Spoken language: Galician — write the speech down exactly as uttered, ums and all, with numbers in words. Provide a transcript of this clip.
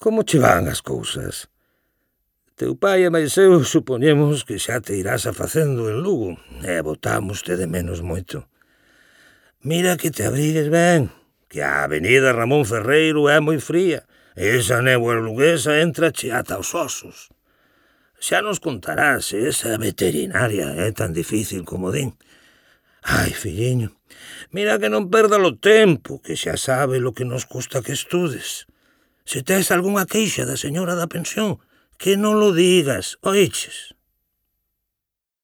Como che van as cousas? Teu pai e máis eu supoñemos que xa te irás a facendo en Lugo e botámoste de menos moito. Mira que te abrigues ben, que a avenida Ramón Ferreiro é moi fría e esa néboa luguesa entrache ata os osos. Xa nos contarás se esa veterinaria é tan difícil como din. Ai, filliño, mira que non perda o tempo, que xa sabe lo que nos custa que estudes. Se tes algunha queixa da señora da pensión, que non lo digas, oiches?